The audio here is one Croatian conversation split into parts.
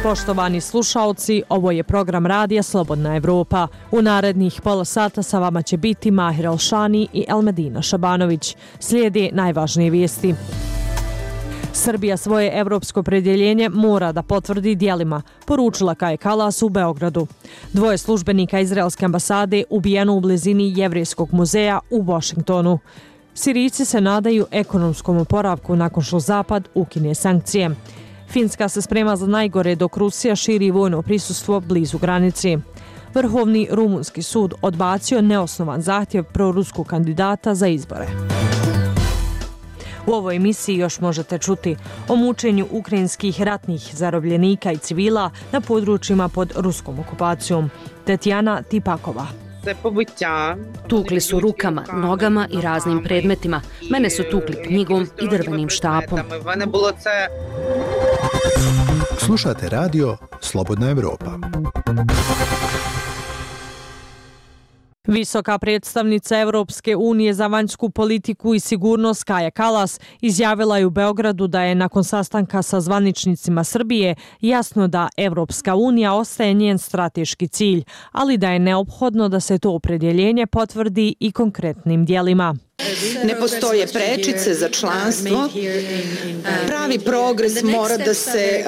Poštovani slušaoci, ovo je program radija Slobodna Evropa. U narednih pola sata sa vama će biti Mahir Alšani i Elmedina Šabanović. Slijede najvažnije vijesti. Srbija svoje evropsko opredjeljenje mora da potvrdi djelima, poručila Kaja Kallas u Beogradu. 2 službenika izraelske ambasade ubijeno u blizini Jevrejskog muzeja u Washingtonu. Sirijci se nadaju ekonomskom oporavku nakon što Zapad ukine sankcije. Finska se sprema za najgore dok Rusija širi vojno prisustvo blizu granice. Vrhovni rumunski sud odbacio neosnovan zahtjev proruskog kandidata za izbore. U ovoj emisiji još možete čuti o mučenju ukrajinskih ratnih zarobljenika i civila na područjima pod ruskom okupacijom. Tetjana Tipakova. Tukli su rukama, nogama i raznim predmetima. Mene su tukli knjigom i drvenim štapom. Slušate radio Slobodna Evropa. Visoka predstavnica Evropske unije za vanjsku politiku i sigurnost Kaja Kallas izjavila je u Beogradu da je nakon sastanka sa zvaničnicima Srbije jasno da Evropska unija ostaje njen strateški cilj, ali da je neophodno da se to opredjeljenje potvrdi i konkretnim djelima. Ne postoje prečice za članstvo. Pravi progres mora da se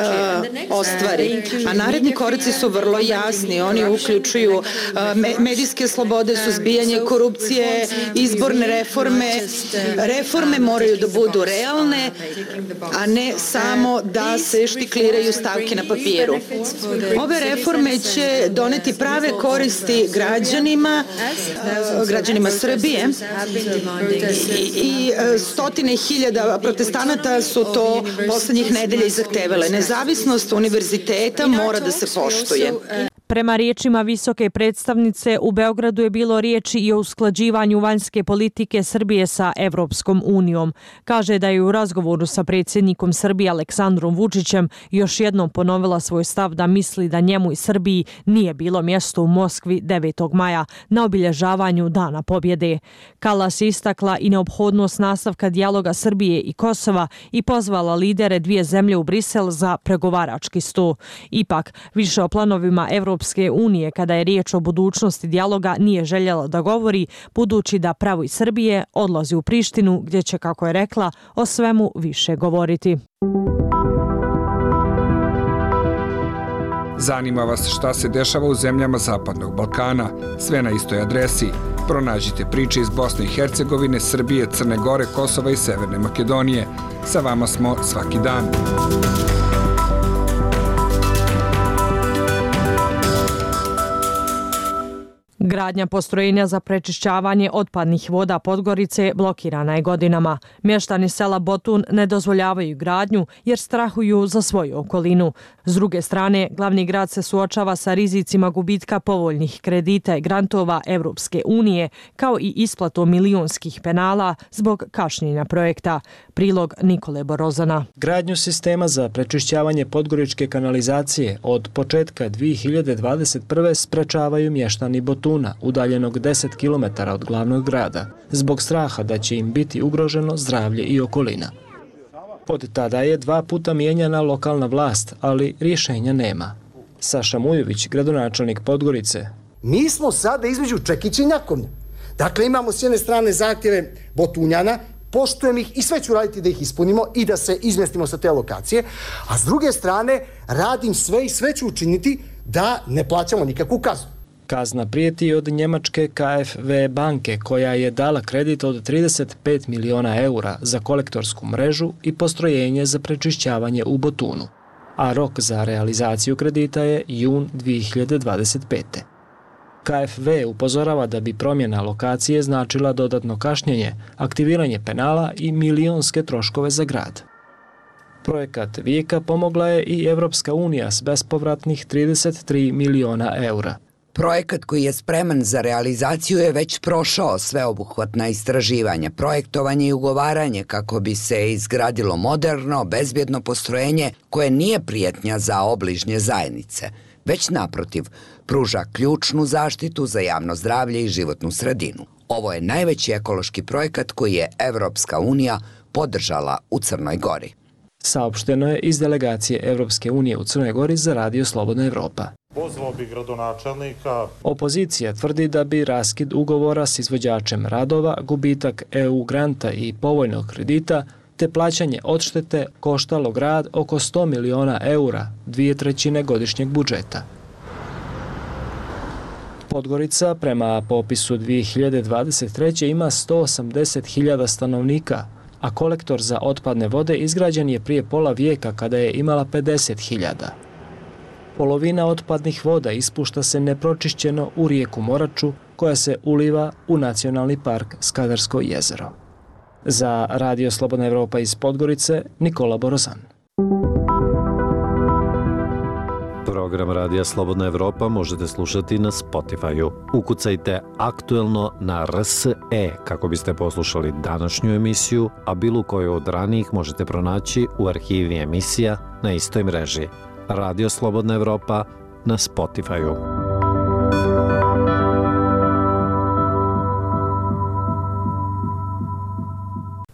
ostvari. A naredni koraci su vrlo jasni. Oni uključuju medijske slobode, suzbijanje korupcije, izborne reforme. Reforme moraju da budu realne, a ne samo da se štikliraju stavke na papiru. Ove reforme će doneti prave koristi građanima Srbije. I stotine hiljada protestanata su to poslednjih nedelja i zahtevale. Nezavisnost univerziteta mora da se poštuje. Prema riječima visoke predstavnice, u Beogradu je bilo riječi i o usklađivanju vanjske politike Srbije sa Evropskom unijom. Kaže da je u razgovoru sa predsjednikom Srbije Aleksandrom Vučićem još jednom ponovila svoj stav da misli da njemu i Srbiji nije bilo mjesto u Moskvi 9. maja na obilježavanju Dana pobjede. Kallas je istakla i neophodnost nastavka dijaloga Srbije i Kosova i pozvala lidere dvije zemlje u Brisel za pregovarački sto. Ipak, više o planovima Evropske unije kada je riječ o budućnosti dijaloga nije željela da govori, budući da pravo iz Srbije odlazi u Prištinu gdje će, kako je rekla, o svemu više govoriti. Zanima vas šta se dešava u zemljama Zapadnog Balkana? Sve na istoj adresi. Pronađite priče iz Bosne i Hercegovine, Srbije, Crne Gore, Kosova i Severne Makedonije. Sa vama smo svaki dan. Gradnja postrojenja za prečišćavanje otpadnih voda Podgorice blokirana je godinama. Mještani sela Botun ne dozvoljavaju gradnju jer strahuju za svoju okolinu. S druge strane, glavni grad se suočava sa rizicima gubitka povoljnih kredita i grantova Evropske unije, kao i isplatom milionskih penala zbog kašnjenja projekta. Prilog Nikole Borozana. Gradnju sistema za prečišćavanje podgoričke kanalizacije od početka 2021. sprečavaju mještani Botuna, udaljenog 10 km od glavnog grada, zbog straha da će im biti ugroženo zdravlje i okolina. Od tada je 2 puta mijenjana lokalna vlast, ali rješenja nema. Saša Mujović, gradonačelnik Podgorice. Mi smo sada između čekića i nakovnja. Dakle, imamo s jedne strane zahtjeve Botunjana, poštujem ih i sve ću raditi da ih ispunimo i da se izmestimo sa te lokacije, a s druge strane radim sve i sve ću učiniti da ne plaćamo nikakvu kaznu. Kazna prijeti od njemačke KfW banke koja je dala kredit od 35 miliona eura za kolektorsku mrežu i postrojenje za prečišćavanje u Botunu, a rok za realizaciju kredita je jun 2025. KfW upozorava da bi promjena lokacije značila dodatno kašnjenje, aktiviranje penala i milionske troškove za grad. Projekat Vijeka pomogla je i Evropska unija s bespovratnih 33 miliona eura. Projekat koji je spreman za realizaciju je već prošao sveobuhvatna istraživanja, projektovanje i ugovaranje kako bi se izgradilo moderno, bezbjedno postrojenje koje nije prijetnja za obližnje zajednice, već naprotiv, pruža ključnu zaštitu za javno zdravlje i životnu sredinu. Ovo je najveći ekološki projekat koji je Evropska unija podržala u Crnoj Gori. Saopšteno je iz delegacije Evropske unije u Crnoj Gori za Radio Slobodna Evropa. Pozvao bi gradonačelnika. Opozicija tvrdi da bi raskid ugovora s izvođačem radova, gubitak EU granta i povoljnog kredita te plaćanje odštete koštalo grad oko 100 miliona eura, 2/3 godišnjeg budžeta. Podgorica prema popisu 2023. ima 180.000 stanovnika, a kolektor za otpadne vode izgrađen je prije pola vijeka kada je imala 50.000. Polovina otpadnih voda ispušta se nepročišćeno u rijeku Moraču, koja se uliva u Nacionalni park Skadarsko jezero. Za Radio Slobodna Evropa iz Podgorice, Nikola Borozan. Program Radija Slobodna Evropa možete slušati na Spotify-u. Ukucajte aktuelno na RSE kako biste poslušali današnju emisiju, a bilo koju od ranijih možete pronaći u arhivi emisija na istoj mreži. Radio Slobodna Evropa na Spotify-u.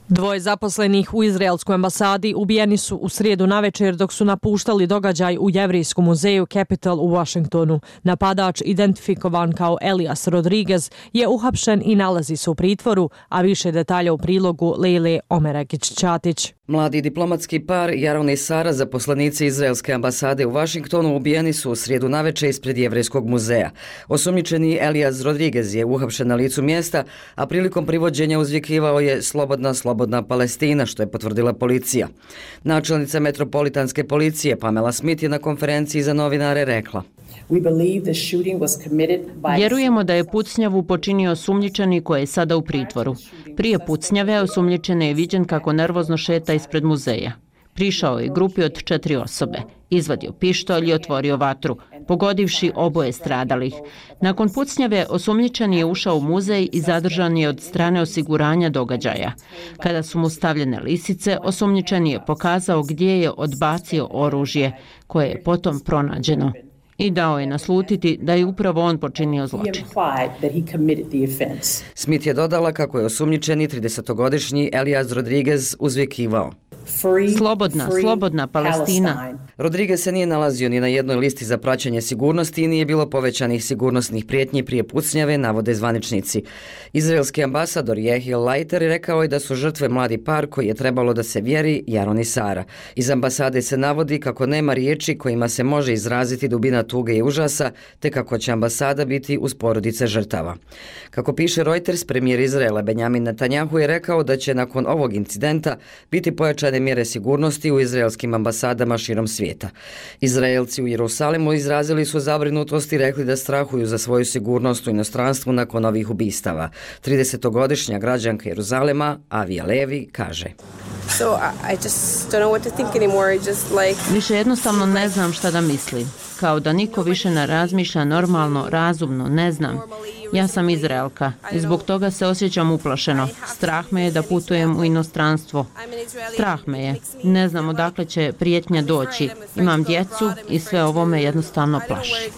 Dvoje zaposlenih u izraelskoj ambasadi ubijeni su u srijedu navečer dok su napuštali događaj u Jevrijskom muzeju Capitol u Washingtonu. Napadač, identifikovan kao Elias Rodriguez, je uhapšen i nalazi se u pritvoru, a više detalja u prilogu Lejle Omeragić-Ćatić. Mladi diplomatski par Jaron i Sara, zaposlenici izraelske ambasade u Washingtonu, ubijeni su u srijedu navečer ispred Jevrijskog muzeja. Osumnjičeni Elias Rodriguez je uhapšen na licu mjesta, a prilikom privođenja uzvikivao je slobodna, slobodna Palestina, što je potvrdila policija. Načelnica metropolitanske policije Pamela Smith je na konferenciji za novinare rekla: Vjerujemo da je pucnjavu počinio osumnjičeni koji je sada u pritvoru. Prije pucnjave osumnjičeni je viđen kako nervozno šeta ispred muzeja. Prišao je grupi od 4 osobe, izvadio pištolj i otvorio vatru, pogodivši oboje stradalih. Nakon pucnjave osumnjičeni je ušao u muzej i zadržan je od strane osiguranja događaja. Kada su mu stavljene lisice, osumnjičeni je pokazao gdje je odbacio oružje, koje je potom pronađeno. I dao je naslutiti da je upravo on počinio zločin. Smith je dodala kako je osumnjičeni 30-godišnji Elias Rodriguez uzvikivao: Slobodna, slobodna Palestina. Rodriguez se nije nalazio ni na jednoj listi za praćenje sigurnosti i nije bilo povećanih sigurnosnih prijetnji prije pucnjave, navode zvaničnici. Izraelski ambasador Jehiel Leiter rekao je da su žrtve mladi par koji je trebalo da se vjeri, Jaron i Sara. Iz ambasade se navodi kako nema riječi kojima se može izraziti dubina tuge i užasa, te kako će ambasada biti uz porodice žrtava. Kako piše Reuters, premijer Izraela Benjamin Netanjahu je rekao da će nakon ovog incidenta biti pojačane mjere sigurnosti u izraelskim ambasadama širom svijeta. Izraelci u Jerusalimu izrazili su zabrinutost i rekli da strahuju za svoju sigurnost u inostranstvu nakon ovih ubistava. 30-godišnja građanka Jeruzalema, Avija Levi, kaže: Više jednostavno ne znam šta da mislim. Kao da niko više ne razmišlja normalno, razumno, ne znam. Ja sam Izraelka i zbog toga se osjećam uplašeno. Strah me je da putujem u inostranstvo. Strah me je. Ne znam odakle će prijetnja doći. Imam djecu i sve ovo me jednostavno plaši.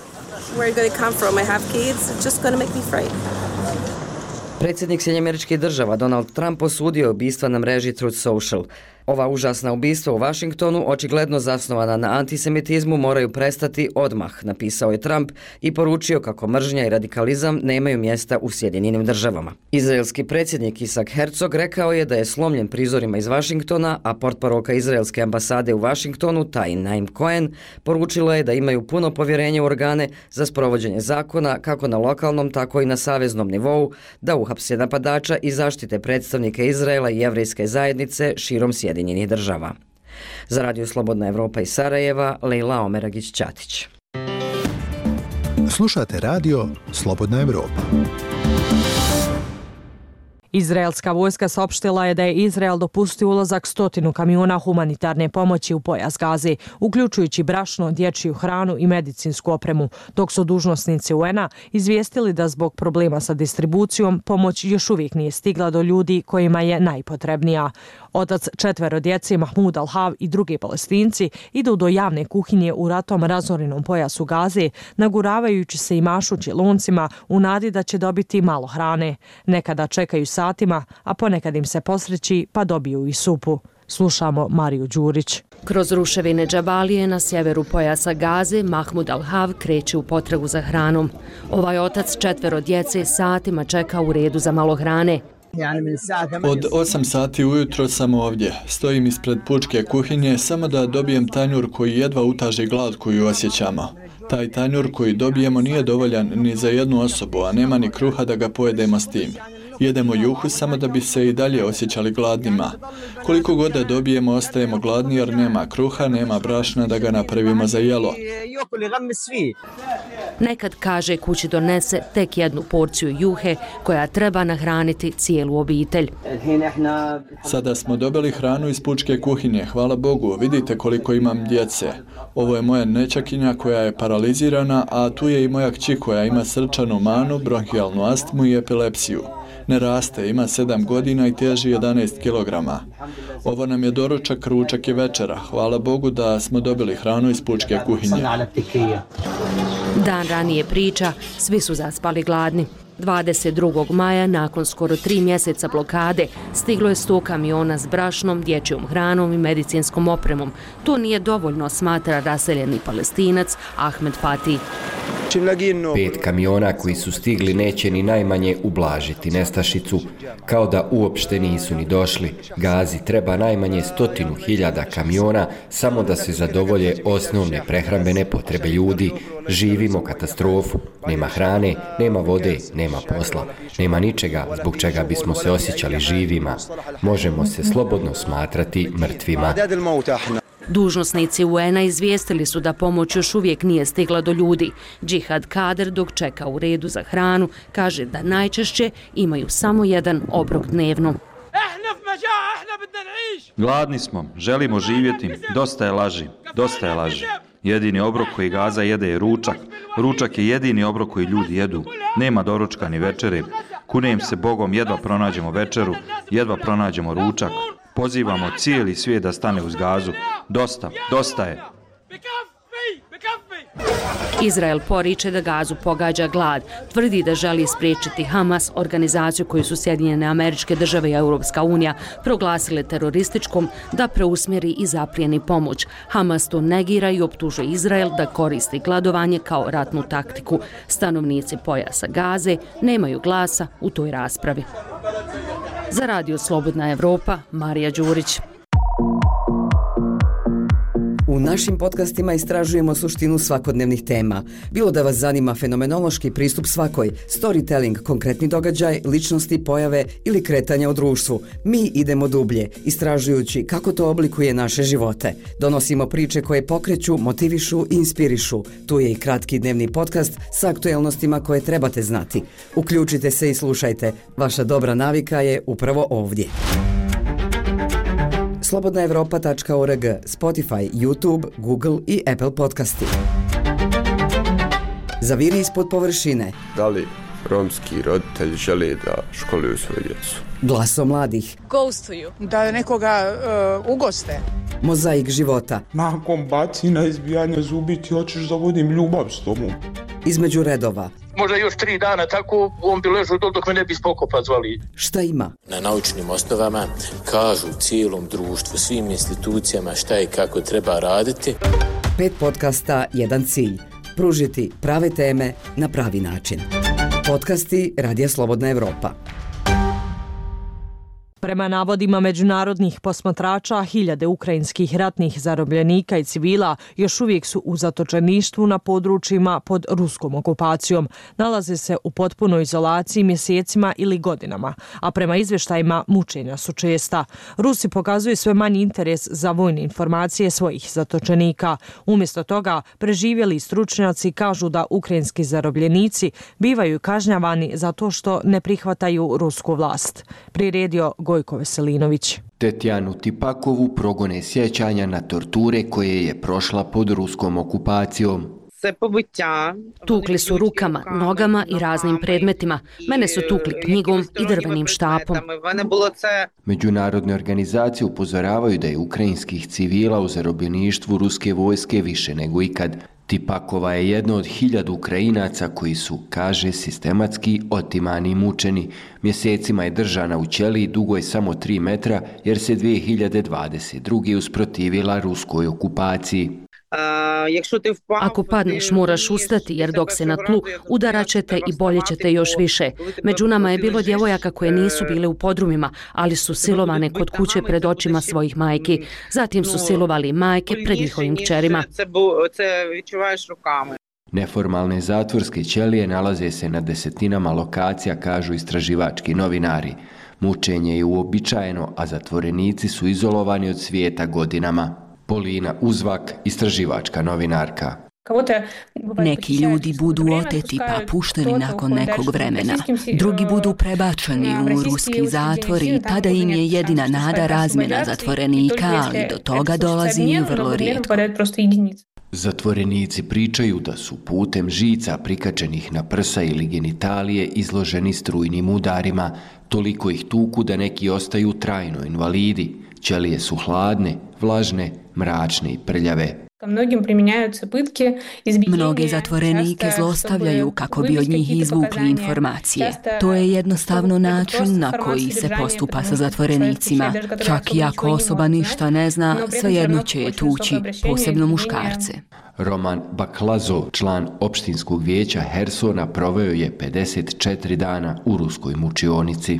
Predsjednik Sjedinjenih Država Donald Trump osudio je ubistva na mreži Truth Social. Ova užasna ubistva u Washingtonu, očigledno zasnovana na antisemitizmu, moraju prestati odmah, napisao je Trump i poručio kako mržnja i radikalizam nemaju mjesta u Sjedinjenim Državama. Izraelski predsjednik Isaac Herzog rekao je da je slomljen prizorima iz Washingtona, a portparolka izraelske ambasade u Washingtonu, Tain Naim Cohen, poručila je da imaju puno povjerenje u organe za sprovođenje zakona kako na lokalnom, tako i na saveznom nivou, da uhapse napadača i zaštite predstavnike Izraela i jevrejske zajednice širom Sjedinjenih Država. Za Radio Slobodna Evropa iz Sarajeva, Lejla Omeragić-Ćatić. Slušate Radio Slobodna Evropa. Izraelska vojska saopštila je da je Izrael dopustio ulazak 100 kamiona humanitarne pomoći u pojas Gaze, uključujući brašno, dječju hranu i medicinsku opremu, dok su dužnosnici UN-a izvijestili da zbog problema sa distribucijom pomoć još uvijek nije stigla do ljudi kojima je najpotrebnija. Otac 4 djece, Mahmud Al-Hav i drugi Palestinci idu do javne kuhinje u ratom razorenom pojasu Gaze, naguravajući se i mašući loncima u nadi da će dobiti malo hrane. Nekada čekaju satima, a ponekad im se posreći pa dobiju i supu. Slušamo Mariju Đurić. Kroz ruševine Džabalije na sjeveru pojasa Gaze, Mahmud Al-Hav kreće u potragu za hranom. Ovaj otac 4 djece satima čeka u redu za malo hrane. Od 8 sati ujutro sam ovdje. Stojim ispred pučke kuhinje samo da dobijem tanjur koji jedva utaži glad koju osjećamo. Taj tanjur koji dobijemo nije dovoljan ni za jednu osobu, a nema ni kruha da ga pojedemo s tim. Jedemo juhu samo da bi se i dalje osjećali gladnima. Koliko god da dobijemo, ostajemo gladni jer nema kruha, nema brašna da ga napravimo za jelo. Nekad, kaže, kući donese tek jednu porciju juhe koja treba nahraniti cijelu obitelj. Sada smo dobili hranu iz pučke kuhinje, hvala Bogu, vidite koliko imam djece. Ovo je moja nećakinja koja je paralizirana, a tu je i moja kći koja ima srčanu manu, bronhijalnu astmu i epilepsiju. Ne raste, ima 7 godina i teži 11 kilograma. Ovo nam je doručak, ručak i večera. Hvala Bogu da smo dobili hranu iz pučke kuhinje. Dan ranije priča, svi su zaspali gladni. 22. maja, nakon skoro 3 mjeseca blokade, stiglo je 100 kamiona s brašnom, dječjom hranom i medicinskom opremom. To nije dovoljno, smatra raseljeni Palestinac Ahmed Fatih. 5 kamiona koji su stigli neće ni najmanje ublažiti nestašicu, kao da uopšte nisu ni došli. Gazi treba najmanje 100.000 kamiona samo da se zadovolje osnovne prehrambene potrebe ljudi. Živimo katastrofu. Nema hrane, nema vode, nema posla. Nema ničega zbog čega bismo se osjećali živima. Možemo se slobodno smatrati mrtvima. Dužnosnici UN-a izvijestili su da pomoć još uvijek nije stigla do ljudi. Džihad Kader, dok čeka u redu za hranu, kaže da najčešće imaju samo jedan obrok dnevno. Gladni smo, želimo živjeti, dosta je laži, dosta je laži. Jedini obrok koji Gaza jede je ručak. Ručak je jedini obrok koji ljudi jedu. Nema doručka ni večere. Kunem se Bogom, jedva pronađemo večeru, jedva pronađemo ručak. Pozivamo cijeli svijet da stane uz Gazu. Dosta, dosta je. Izrael poriče da Gazu pogađa glad. Tvrdi da želi spriječiti Hamas, organizaciju koju su Sjedinjene Američke Države i Europska unija proglasile terorističkom, da preusmjeri i zaplijeni pomoć. Hamas to negira i optužuje Izrael da koristi gladovanje kao ratnu taktiku. Stanovnici pojasa Gaze nemaju glasa u toj raspravi. Za Radio Slobodna Evropa, Marija Đurić. U našim podcastima istražujemo suštinu svakodnevnih tema. Bilo da vas zanima fenomenološki pristup svakoj, storytelling, konkretni događaj, ličnosti, pojave ili kretanja u društvu. Mi idemo dublje, istražujući kako to oblikuje naše živote. Donosimo priče koje pokreću, motivišu i inspirišu. Tu je i kratki dnevni podcast sa aktuelnostima koje trebate znati. Uključite se i slušajte. Vaša dobra navika je upravo ovdje. slobodnaevropa.org, Spotify, YouTube, Google i Apple podcasti. Zaviri ispod površine. Da li romski roditelji žele da školuju svoje djecu? Glaso mladih. Ghostuju. Da nekoga ugoste. Mozaik života. Nakon bacina, izbijanja zubi ti hoćeš da vodim ljubav s tobom. Između redova. Možda još 3 dana tako on bi ležao dok me ne bi spokopa zvali. Šta ima? Na naučnim osnovama kažu cijelom društvu, svim institucijama šta i kako treba raditi. 5 podcasta, jedan cilj. Pružiti prave teme na pravi način. Podcasti Radija Slobodna Evropa. Prema navodima međunarodnih posmatrača, hiljade ukrajinskih ratnih zarobljenika i civila još uvijek su u zatočeništvu na područjima pod ruskom okupacijom. Nalaze se u potpunoj izolaciji mjesecima ili godinama, a prema izvještajima mučenja su česta. Rusi pokazuju sve manji interes za vojne informacije svojih zatočenika. Umjesto toga, preživjeli stručnjaci kažu da ukrajinski zarobljenici bivaju kažnjavani zato što ne prihvataju rusku vlast. Priredio Gojko Veselinović. Tetjanu Tipakovu progone sjećanja na torture koje je prošla pod ruskom okupacijom. Tukli su rukama, nogama i raznim predmetima. Mene su tukli knjigom i drvenim štapom. Međunarodne organizacije upozoravaju da je ukrajinskih civila u zarobljeništvu ruske vojske više nego ikad. Tipakova je jedna od 1000 Ukrajinaca koji su, kaže, sistematski otimani i mučeni. Mjesecima je držana u ćeliji dugoj samo 3 metra jer se 2022. usprotivila ruskoj okupaciji. Ako padneš, moraš ustati, jer dok se na tlu udarat ćete i bolje ćete još više. Među nama je bilo djevojaka koje nisu bile u podrumima, ali su silovane kod kuće pred očima svojih majki. Zatim su silovali majke pred njihovim kćerima. Neformalne zatvorske ćelije nalaze se na desetinama lokacija, kažu istraživački novinari. Mučenje je uobičajeno, a zatvorenici su izolovani od svijeta godinama. Polina Uzvak, istraživačka novinarka. Neki ljudi budu oteti pa pušteni nakon nekog vremena. Drugi budu prebačeni u ruski zatvor i tada im je jedina nada razmjena zatvorenika, ali do toga dolazi vrlo rijetko. Zatvorenici pričaju da su putem žica prikačenih na prsa ili genitalije izloženi strujnim udarima. Toliko ih tuku da neki ostaju trajno invalidi. Ćelije su hladne, vlažne, mračne i prljave. Mnoge zatvorenike zlostavljaju kako bi od njih izvukli informacije. To je jednostavno način na koji se postupa sa zatvorenicima. Čak i ako osoba ništa ne zna, svejedno će je tući, posebno muškarce. Roman Baklazo, član opštinskog vijeća Hersona, proveo je 54 dana u ruskoj mučionici.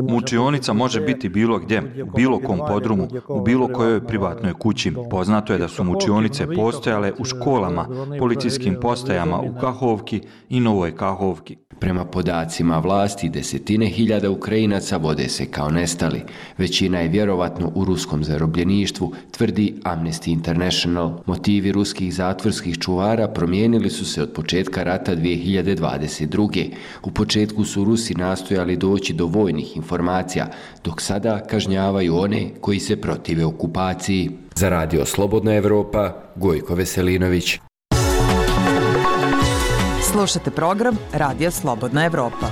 Mučionica može biti bilo gdje, u bilo kom podrumu, u bilo kojoj privatnoj kući. Poznato je da su mučionice postojale u školama, policijskim postajama u Kahovki i Novoj Kahovki. Prema podacima vlasti, desetine hiljada Ukrajinaca vode se kao nestali. Većina je vjerovatno u ruskom zarobljeništvu, tvrdi Amnesty International. Motivi ruskih zatvorskih čuvara promijenili su se od početka rata 2022. U početku su Rusi nastojali doći do vojnih informacija, dok sada kažnjavaju one koji se protive okupaciji. Za Radio Slobodna Evropa, Gojko Veselinović. Slušate program Radija Slobodna Evropa.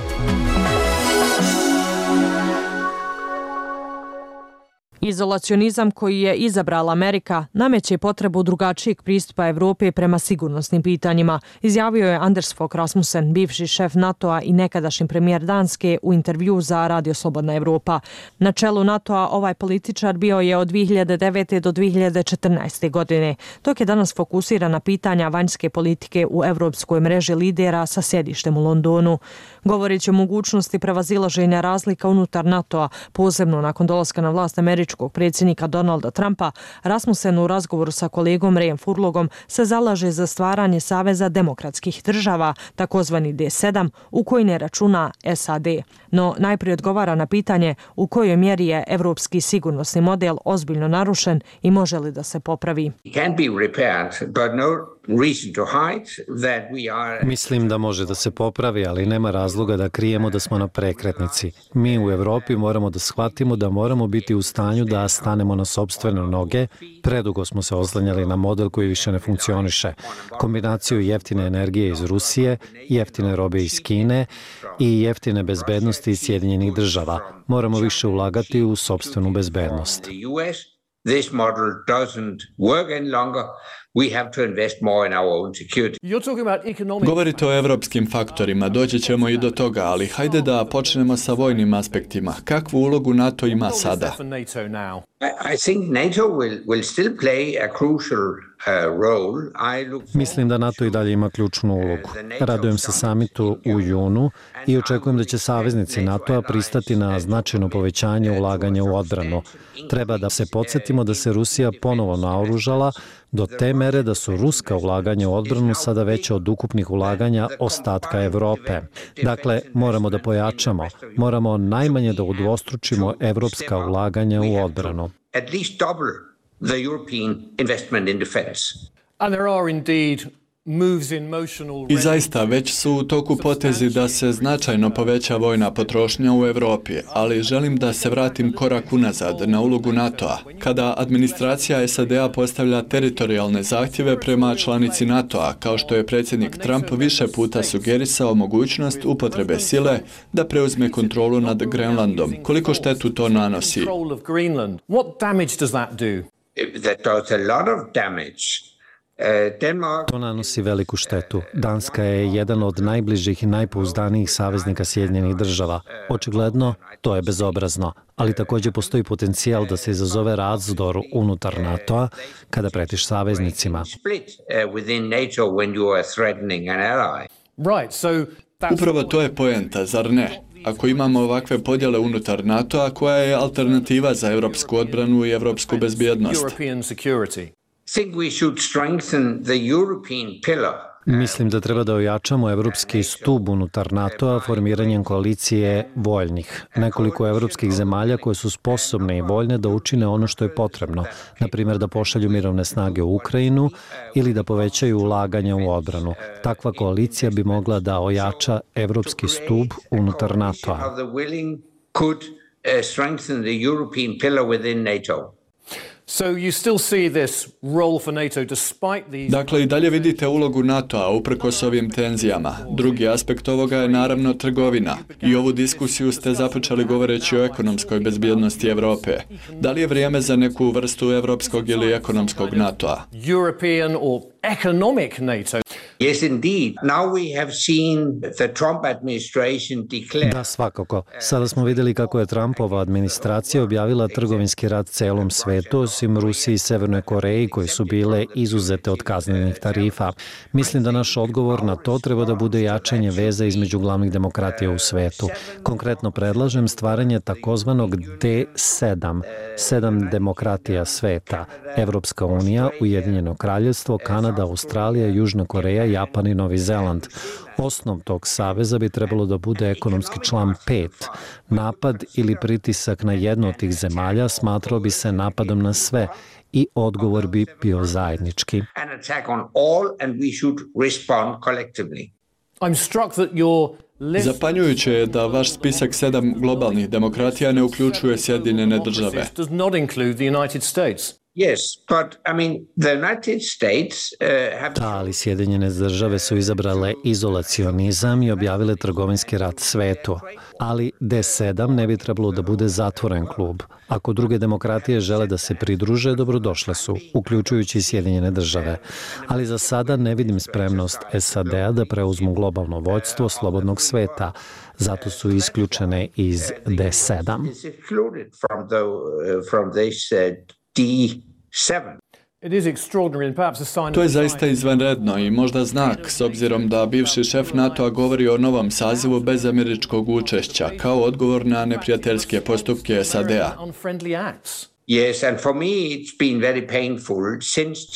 Izolacionizam koji je izabrala Amerika nameće potrebu drugačijeg pristupa Evrope prema sigurnosnim pitanjima, izjavio je Anders Fogh Rasmussen, bivši šef NATO-a i nekadašnji premijer Danske, u intervju za Radio Slobodna Evropa. Na čelu NATO-a ovaj političar bio je od 2009. do 2014. godine, dok je danas fokusiran na pitanja vanjske politike u evropskoj mreži lidera sa sjedištem u Londonu. Govoreći o mogućnosti prevazilaženja razlika unutar NATO-a, posebno nakon dolaska na vlast američkog predsjednika Donalda Trumpa, Rasmussen u razgovoru sa kolegom Rayom Furlogom se zalaže za stvaranje Saveza demokratskih država, takozvani D7, u koji ne računa SAD. No najprije odgovara na pitanje u kojoj mjeri je evropski sigurnosni model ozbiljno narušen i može li da se popravi. Mislim da može da se popravi, ali nema razloga da krijemo da smo na prekretnici. Mi u Evropi moramo da shvatimo da moramo biti u stanju da stanemo na sopstvene noge. Predugo smo se oslanjali na model koji više ne funkcioniše. Kombinaciju jeftine energije iz Rusije, jeftine robe iz Kine i jeftine bezbednosti iz Sjedinjenih država. Moramo više ulagati u sopstvenu bezbednost. This model doesn't work any longer. We have to invest more in our own security. Govorite o evropskim faktorima, doći ćemo i do toga, ali hajde da počnemo sa vojnim aspektima. Kakvu ulogu NATO ima sada? I think NATO will still play a crucial role. Mislim da NATO i dalje ima ključnu ulogu. Radujem se samitu u junu i očekujem da će saveznici NATO-a pristati na značajno povećanje ulaganja u odbranu. Treba da se podsjetimo da se Rusija ponovo naoružala do te mere da su ruska ulaganja u odbranu sada veća od ukupnih ulaganja ostatka Evrope. Dakle, moramo da pojačamo, moramo najmanje da udvostručimo evropska ulaganja u odbranu. At least double the European investment in defense. And there are indeed I zaista već su u toku potezi da se značajno poveća vojna potrošnja u Evropi, ali želim da se vratim korak unazad na ulogu NATO-a. Kada administracija SAD-a postavlja teritorijalne zahtjeve prema članici NATO-a, kao što je predsjednik Trump više puta sugerisao mogućnost upotrebe sile da preuzme kontrolu nad Grenlandom, koliko štetu to nanosi? That does a lot of damage. To nanosi veliku štetu. Danska je jedan od najbližih i najpouzdanijih saveznika Sjedinjenih država. Očigledno, to je bezobrazno, ali također postoji potencijal da se izazove razdor unutar NATO-a kada pretiš saveznicima. Upravo to je poenta, zar ne? Ako imamo ovakve podjele unutar NATO-a, koja je alternativa za evropsku odbranu i evropsku bezbjednost? Mislim da treba da ojačamo evropski stub unutar NATO-a formiranjem koalicije voljnih. Nekoliko evropskih zemalja koje su sposobne i voljne da učine ono što je potrebno, na primjer da pošalju mirovne snage u Ukrajinu ili da povećaju ulaganja u odbranu. Takva koalicija bi mogla da ojača evropski stub unutar NATO-a. Dakle, i dalje vidite ulogu NATO-a uprkos ovim tenzijama. Drugi aspekt ovoga je naravno trgovina. I ovu diskusiju ste započeli govoreći o ekonomskoj bezbjednosti Evrope. Da li je vrijeme za neku vrstu evropskog ili ekonomskog NATO-a? Yes, indeed. Now we have seen the Trump administration declare... Da, svakako. Sada smo vidjeli kako je Trumpova administracija objavila trgovinski rat celom svetu, osim Rusiji i Severnoj Koreji, koji su bile izuzete od kaznenih tarifa. Mislim da naš odgovor na to treba da bude jačanje veza između glavnih demokratija u svetu. Konkretno predlažem stvaranje takozvanog D7, 7 demokratija sveta, Evropska unija, Ujedinjeno kraljevstvo, Kanada, Australija, Južna Koreja, Japan i Novi Zeland. Osnov tog saveza bi trebalo da bude ekonomski član 5. Napad ili pritisak na jednu od tih zemalja smatrao bi se napadom na sve i odgovor bi bio zajednički. Zapanjujuće je da vaš spisak 7 globalnih demokratija ne uključuje Sjedinjene države. Ali Sjedinjene države su izabrale izolacionizam i objavile trgovinski rat svetu. Ali D7 ne bi trebalo da bude zatvoren klub. Ako druge demokratije žele da se pridruže, dobrodošle su, uključujući Sjedinjene države. Ali za sada ne vidim spremnost SAD-a da preuzmu globalno vođstvo slobodnog sveta. Zato su isključene iz D7. To je zaista izvanredno i možda znak, s obzirom da bivši šef NATO-a govori o novom sazivu bez američkog učešća, kao odgovor na neprijateljske postupke SAD-a.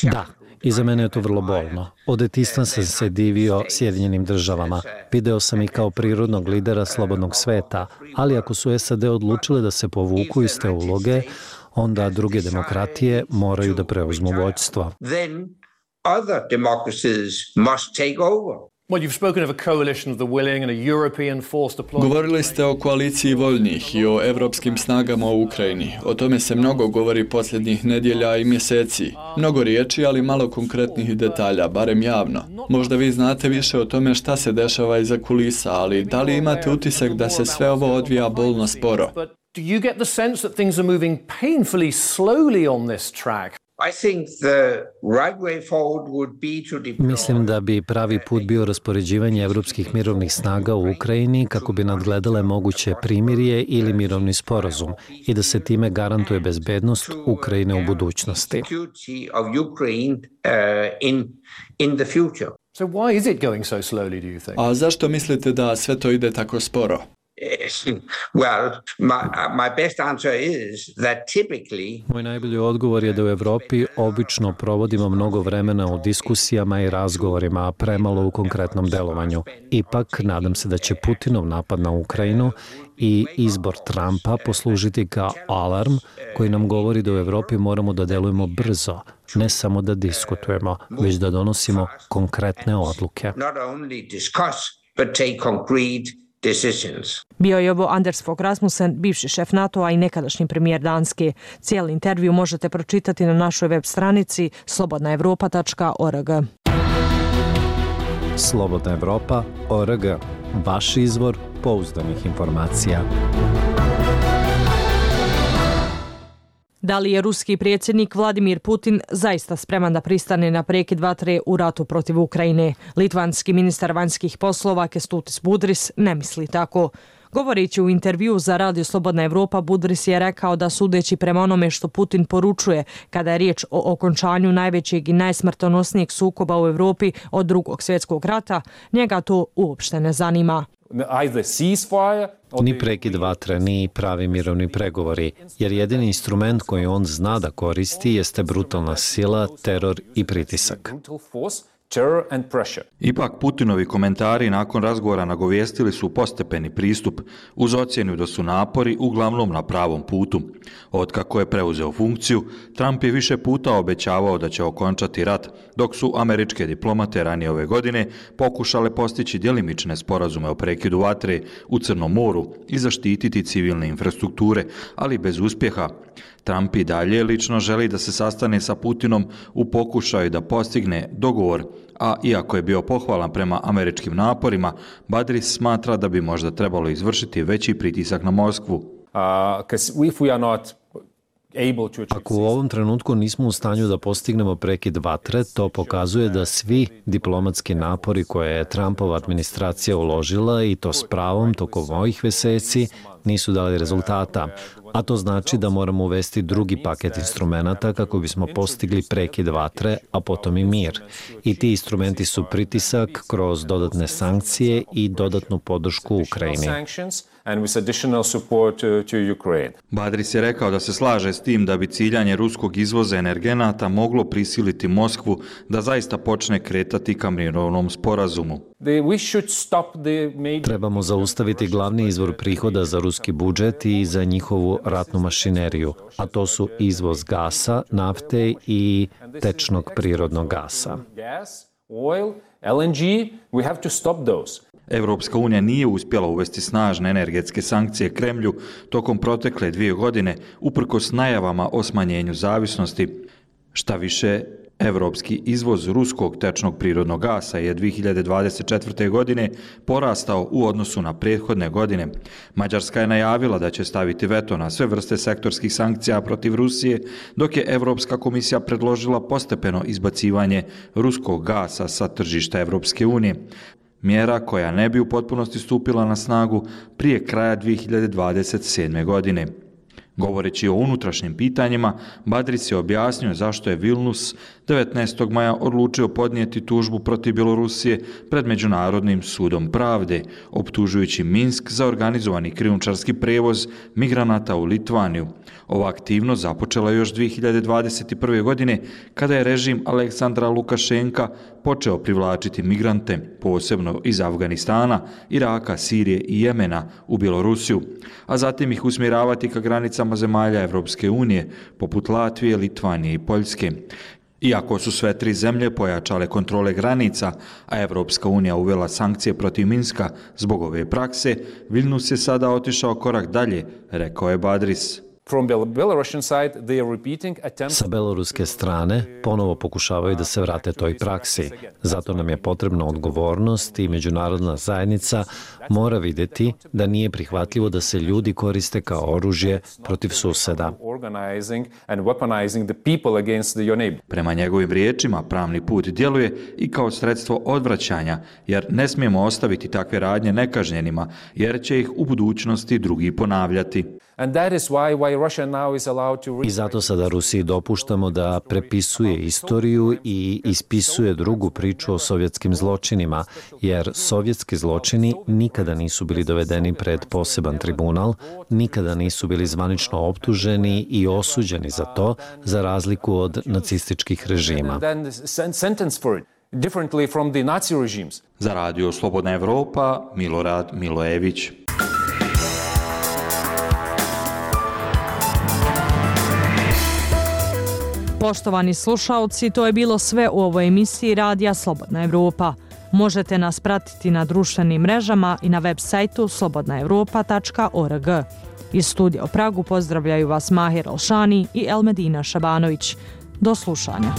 Da, i za mene je to vrlo bolno. Od detinjstva sam se divio Sjedinjenim državama. Video sam ih kao prirodnog lidera slobodnog sveta, ali ako su SAD odlučile da se povuku iz te uloge, onda druge demokratije moraju da preuzmu vođstvo. Govorili ste o koaliciji voljnih i o evropskim snagama u Ukrajini. O tome se mnogo govori posljednjih nedjelja i mjeseci. Mnogo riječi, ali malo konkretnih detalja, barem javno. Možda vi znate više o tome šta se dešava iza kulisa, ali da li imate utisak da se sve ovo odvija bolno sporo? Do you get the sense that things are moving painfully slowly on this track? Mislim da bi pravi put bio raspoređivanje evropskih mirovnih snaga u Ukrajini kako bi nadgledale moguće primirje ili mirovni sporazum i da se time garantuje bezbednost Ukrajine u budućnosti. So why is it going so slowly, do you think? A zašto mislite da sve to ide tako sporo? Moj najbolji odgovor je da u Evropi obično provodimo mnogo vremena u diskusijama i razgovorima, a premalo u konkretnom delovanju. Ipak, nadam se da će Putinov napad na Ukrajinu i izbor Trumpa poslužiti kao alarm koji nam govori da u Evropi moramo da delujemo brzo, ne samo da diskutujemo, već da donosimo konkretne odluke. Bio je ovo Anders Fogh Rasmussen, bivši šef NATO-a i nekadašnji premijer Danske. Cijeli intervju možete pročitati na našoj web stranici slobodnaevropa.org. Slobodnaevropa.org. Vaš izvor pouzdanih informacija. Da li je ruski predsjednik Vladimir Putin zaista spreman da pristane na prekid vatre u ratu protiv Ukrajine? Litvanski ministar vanjskih poslova Kęstutis Budris ne misli tako. Govoreći u intervju za Radio Slobodna Evropa, Budris je rekao da sudeći prema onome što Putin poručuje kada je riječ o okončanju najvećeg i najsmrtonosnijeg sukoba u Evropi od Drugog svjetskog rata, njega to uopšte ne zanima. Ni prekid vatre, ni pravi mirovni pregovori, jer jedini instrument koji on zna da koristi jeste brutalna sila, teror i pritisak. Ipak Putinovi komentari nakon razgovora nagovijestili su postepeni pristup uz ocjenu da su napori uglavnom na pravom putu. Otkako je preuzeo funkciju, Trump je više puta obećavao da će okončati rat, dok su američke diplomate ranije ove godine pokušale postići djelimične sporazume o prekidu vatre u Crnom moru i zaštititi civilne infrastrukture, ali bez uspjeha. Trump i dalje lično želi da se sastane sa Putinom u pokušaju da postigne dogovor, a iako je bio pohvalan prema američkim naporima, Badris smatra da bi možda trebalo izvršiti veći pritisak na Moskvu. Ako u ovom trenutku nismo u stanju da postignemo prekid vatre, to pokazuje da svi diplomatski napori koje je Trumpova administracija uložila, i to s pravom tokom ovih mjeseci, nisu dali rezultata. A to znači da moramo uvesti drugi paket instrumenata kako bismo postigli prekid vatre, a potom i mir. I ti instrumenti su pritisak kroz dodatne sankcije i dodatnu podršku Ukrajini. Badris je rekao da se slaže s tim da bi ciljanje ruskog izvoza energenata moglo prisiliti Moskvu da zaista počne kretati ka mirovnom sporazumu. Trebamo zaustaviti glavni izvor prihoda za ruski budžet i za njihovu ratnu mašineriju, a to su izvoz gasa, nafte i tečnog prirodnog gasa. Evropska unija nije uspjela uvesti snažne energetske sankcije Kremlju tokom protekle 2 godine, uprkos najavama o smanjenju zavisnosti. Šta više, evropski izvoz ruskog tečnog prirodnog gasa je 2024. godine porastao u odnosu na prethodne godine. Mađarska je najavila da će staviti veto na sve vrste sektorskih sankcija protiv Rusije, dok je Evropska komisija predložila postepeno izbacivanje ruskog gasa sa tržišta Evropske unije. Mjera koja ne bi u potpunosti stupila na snagu prije kraja 2027. godine. Govoreći o unutrašnjim pitanjima, Badris je objasnio zašto je Vilnius 19. maja odlučio podnijeti tužbu protiv Bjelorusije pred Međunarodnim sudom pravde, optužujući Minsk za organizovani krijumčarski prevoz migranata u Litvaniju. Ova aktivnost započela još 2021. godine kada je režim Aleksandra Lukašenka počeo privlačiti migrante, posebno iz Afganistana, Iraka, Sirije i Jemena u Bjelorusiju, a zatim ih usmjeravati ka granicama zemalja Evropske unije, poput Latvije, Litvanije i Poljske. Iako su sve 3 zemlje pojačale kontrole granica, a Evropska unija uvela sankcije protiv Minska zbog ove prakse, Vilnius je sada otišao korak dalje, rekao je Badris. Sa beloruske strane ponovo pokušavaju da se vrate toj praksi. Zato nam je potrebna odgovornost i međunarodna zajednica mora vidjeti da nije prihvatljivo da se ljudi koriste kao oružje protiv suseda. Prema njegovim riječima, pravni put djeluje i kao sredstvo odvraćanja, jer ne smijemo ostaviti takve radnje nekažnjenima, jer će ih u budućnosti drugi ponavljati. I zato sada Rusiji dopuštamo da prepisuje istoriju i ispisuje drugu priču o sovjetskim zločinima, jer sovjetski zločini nikada nisu bili dovedeni pred poseban tribunal, nikada nisu bili zvanično optuženi i osuđeni za to, za razliku od nacističkih režima. Za Radio Slobodna Evropa, Milorad Milojević. Poštovani slušaoci, to je bilo sve u ovoj emisiji Radija Slobodna Evropa. Možete nas pratiti na društvenim mrežama i na web sajtu slobodnaevropa.org. Iz studija u Pragu pozdravljaju vas Mahir Alšani i Elmedina Šabanović. Do slušanja.